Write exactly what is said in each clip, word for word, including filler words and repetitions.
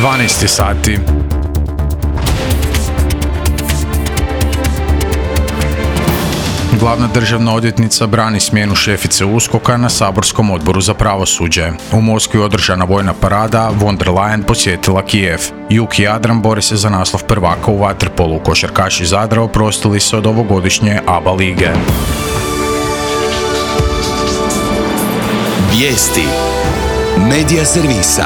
dvanaest sati. Glavna državna odvjetnica brani smjenu šefice USKOK-a na saborskom odboru za pravosuđe. U Moskvi održana vojna parada, von der Leyen posjetila Kijev. Jug i Jadran bore se za naslov prvaka u vaterpolu. Košarkaši Zadra oprostili se od ovogodišnje A B A lige. Vijesti Medija servisa.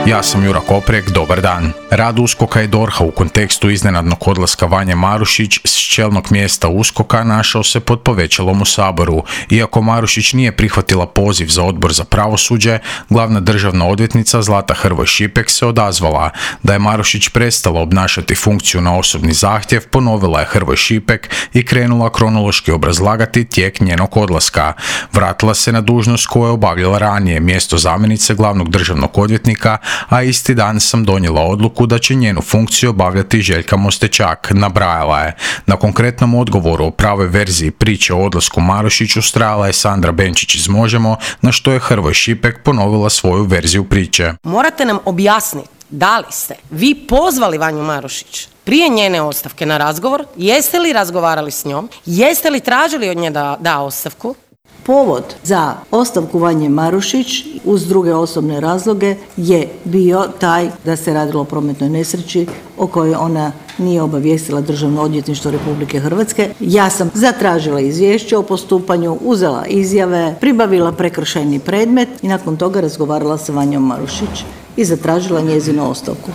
Ja sam Jura Koprek, dobar dan. Rad USKOK-a i D O R H-a u kontekstu iznenadnog odlaska Vanje Marušić s čelnog mjesta USKOK-a našao se pod povećalom u Saboru. Iako Marušić nije prihvatila poziv za odbor za pravosuđe, glavna državna odvjetnica Zlata Hrvoj Šipek se odazvala. Da je Marušić prestala obnašati funkciju na osobni zahtjev, ponovila je Hrvoj Šipek i krenula kronološki obrazlagati tijek njenog odlaska. Vratila se na dužnost koju je obavljala ranije, mjesto zamjenice glavnog državnog odvjetnika, a isti dan sam donijela odluku da će njenu funkciju obavljati Željka Mostečak, nabrajala je. Na konkretnom odgovoru o pravoj verziji priče o odlasku Marušić ustrajala je Sandra Benčić iz Možemo, na što je Hrvoj Šipek ponovila svoju verziju priče. Morate nam objasniti da li ste vi pozvali Vanju Marušić prije njene ostavke na razgovor, jeste li razgovarali s njom, jeste li tražili od nje da da ostavku? Povod za ostavku Vanje Marušić uz druge osobne razloge je bio taj da se radilo o prometnoj nesreći o kojoj ona nije obavijestila Državno odvjetništvo Republike Hrvatske. Ja sam zatražila izvješće o postupanju, uzela izjave, pribavila prekršajni predmet i nakon toga razgovarala sa Vanjom Marušić i zatražila njezinu ostavku.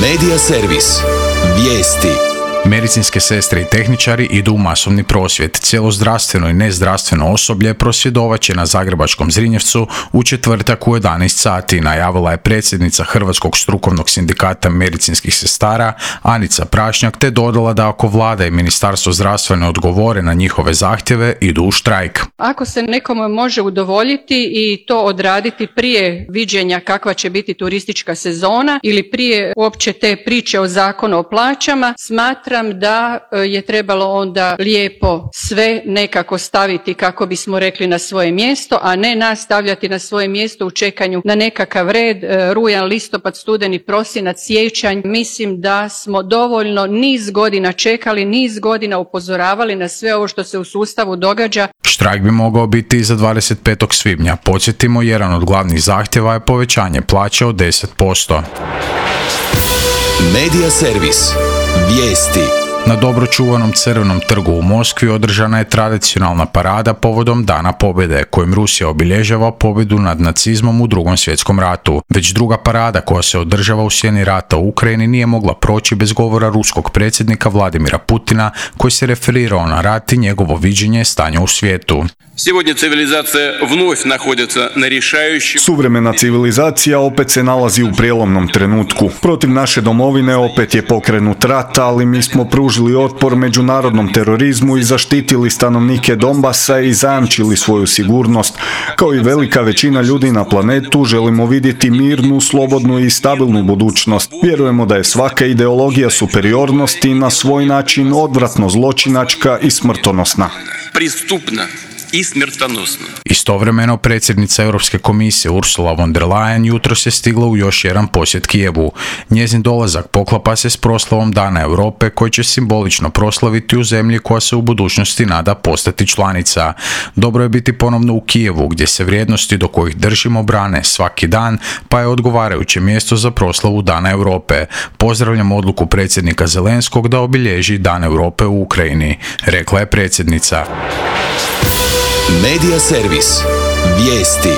Medija servis. Vijesti. Medicinske sestre i tehničari idu u masovni prosvjed. Cijelo zdravstveno i nezdravstveno osoblje prosvjedovat će na zagrebačkom Zrinjevcu u četvrtak u jedanaest sati, najavila je predsjednica Hrvatskog strukovnog sindikata medicinskih sestara Anica Prašnjak, te dodala da ako vlada i Ministarstvo zdravstva ne odgovore na njihove zahtjeve, idu u štrajk. Ako se nekome može udovoljiti i to odraditi prije viđenja kakva će biti turistička sezona ili prije uopće te priče o zakonu o plaćama, smatram da je trebalo onda lijepo sve nekako staviti, kako bismo rekli, na svoje mjesto, a ne nas stavljati na svoje mjesto u čekanju na nekakav red, rujan, listopad, studeni, prosinac, siječanj. Mislim da smo dovoljno niz godina čekali, niz godina upozoravali na sve ovo što se u sustavu događa. Štrajk bi mogao biti i za dvadeset petog svibnja. Podsjetimo, jedan od glavnih zahtjeva je povećanje plaće od deset posto. Medija servis. Vijesti. Na dobro čuvanom Crvenom trgu u Moskvi održana je tradicionalna parada povodom Dana pobjede, kojim Rusija obilježava pobjedu nad nacizmom u Drugom svjetskom ratu. Već druga parada koja se održava u sjeni rata u Ukrajini nije mogla proći bez govora ruskog predsjednika Vladimira Putina, koji se referirao na rat i njegovo viđenje stanja u svijetu. Сегодня цивилизация вновь находится на решающем... Suvremena civilizacija opet se nalazi u prijelomnom trenutku. Protiv naše domovine opet je pokrenut rat, ali mi smo pružili otpor međunarodnom terorizmu i zaštitili stanovnike Donbasa i zajamčili svoju sigurnost. Kao i velika većina ljudi na planetu, želimo vidjeti mirnu, slobodnu i stabilnu budućnost. Vjerujemo da je svaka ideologija superiornosti na svoj način odvratno zločinačka i smrtonosna. Pristupna i smrtonosno. Istovremeno, predsjednica Europske komisije Ursula von der Leyen jutros je stigla u još jedan posjet Kijevu. Njezin dolazak poklapa se s proslavom Dana Europe, koji će simbolično proslaviti u zemlji koja se u budućnosti nada postati članica. Dobro je biti ponovno u Kijevu, gdje se vrijednosti do kojih držimo brane svaki dan, pa je odgovarajuće mjesto za proslavu Dana Europe. Pozdravljam odluku predsjednika Zelenskog da obilježi Dan Europe u Ukrajini, rekla je predsjednica. Medija servis. Vijesti.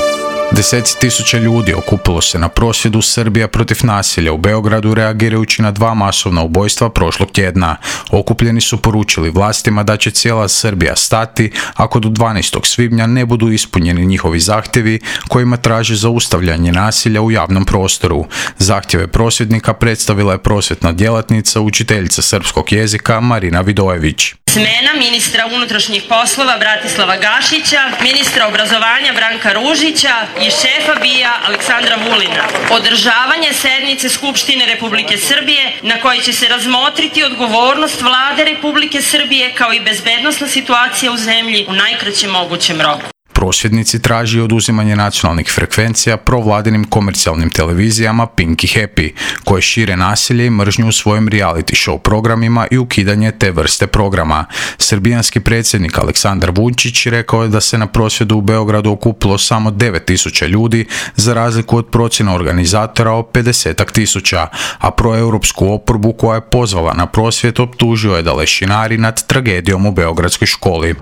Deseci tisuća ljudi okupilo se na prosvjedu Srbija protiv nasilja u Beogradu reagirajući na dva masovna ubojstva prošlog tjedna. Okupljeni su poručili vlastima da će cijela Srbija stati ako do dvanaestog svibnja ne budu ispunjeni njihovi zahtjevi kojima traže zaustavljanje nasilja u javnom prostoru. Zahtjeve prosvjednika predstavila je prosvjetna djelatnica, učiteljica srpskog jezika Marina Vidojević. Smjena ministra unutrašnjih poslova Bratislava Gašića, ministra obrazovanja Branka Ružića i šefa B I A Aleksandra Vulina. Održavanje sednice Skupštine Republike Srbije na kojoj će se razmotriti odgovornost Vlade Republike Srbije kao i bezbednosna situacija u zemlji u najkraćem mogućem roku. Prosvjednici traži oduzimanje nacionalnih frekvencija provladinim komercijalnim televizijama Pink i Happy, koje šire nasilje i mržnju u svojim reality show programima i ukidanje te vrste programa. Srbijanski predsjednik Aleksandar Vučić rekao je da se na prosvjedu u Beogradu okupilo samo devet tisuća ljudi, za razliku od procjena organizatora o pedesetak tisuća, a proeuropsku oporbu koja je pozvala na prosvjed optužio je da lešinari nad tragedijom u beogradskoj školi.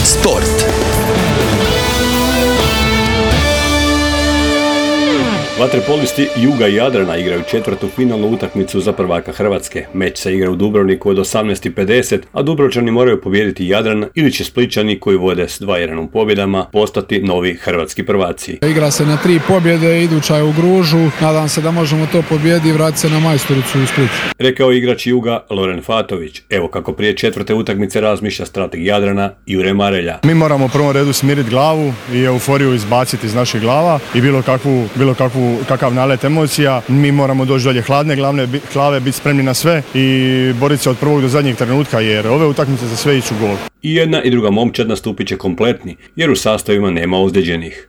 Sport. Vaterpolisti Juga i Jadrana igraju četvrtu finalnu utakmicu za prvaka Hrvatske. Meč se igra u Dubrovniku od osamnaest i pedeset, a Dubrovčani moraju pobijediti Jadran ili će Splićani, koji vode s dva jedan u pobjedama, postati novi hrvatski prvaci. Igra se na tri pobjede, iduća je u Gružu. Nadam se da možemo to pobjediti i vratiti se na majstoricu u Splitu. Rekao igrač Juga Loren Fatović. Evo kako prije četvrte utakmice razmišlja strateg Jadrana Jure Marelja. Mi moramo u prvom redu smiriti glavu i euforiju izbaciti iz naših glava i bilo kakvu, bilo kakvu kakav nalet emocija. Mi moramo doći dolje hladne glavne glave, biti spremni na sve i boriti se od prvog do zadnjeg trenutka, jer ove utakmice za sve iću gol. I jedna i druga momčad nastupit će kompletni, jer u sastavima nema ozlijeđenih.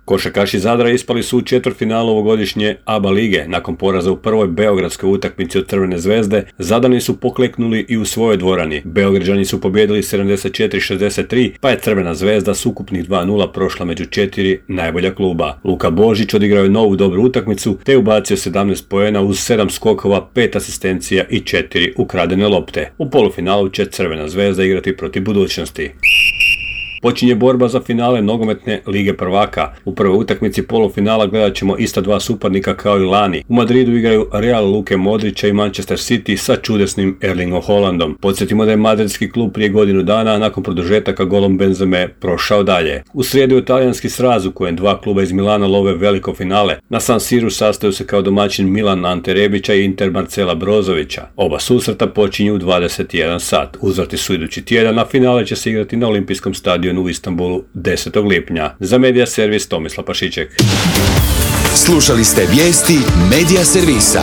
Košarkaši Zadra ispali su u četvrtfinalu ovogodišnje A B A lige. Nakon poraza u prvoj beogradskoj utakmici od Crvene zvezde, Zadani su pokleknuli i u svojoj dvorani. Beograđani su pobijedili sedamdeset četiri šezdeset tri, pa je Crvena zvezda s ukupnih dva nula prošla među četiri najbolja kluba. Luka Božić odigrao je novu dobru utakmicu, te ubacio sedamnaest poena uz sedam skokova, pet asistencija i četiri ukradene lopte. U polufinalu će Crvena zvezda igrati protiv Budućnosti. Počinje borba za finale nogometne lige prvaka. U prvoj utakmici polufinala gledat ćemo ista dva suparnika kao i lani. U Madridu igraju Real Luke Modrića i Manchester City sa čudesnim Erlingom Haalandom. Podsjetimo da je madridski klub prije godinu dana nakon produžetaka golom Benzeme prošao dalje. U srijedu je talijanski sraz u kojem dva kluba iz Milana love veliko finale. Na San Siru sastaju se kao domaćin Milan Ante Rebića i Inter Marcela Brozovića. Oba susreta počinju u dvadeset jedan sat. Uzvrati su idući tjedan, a finale će se igrati na Olimpijskom stadionu u Istanbulu desetog lipnja. Za Medija servis Tomislav Pašiček. Slušali ste vijesti Medija servisa.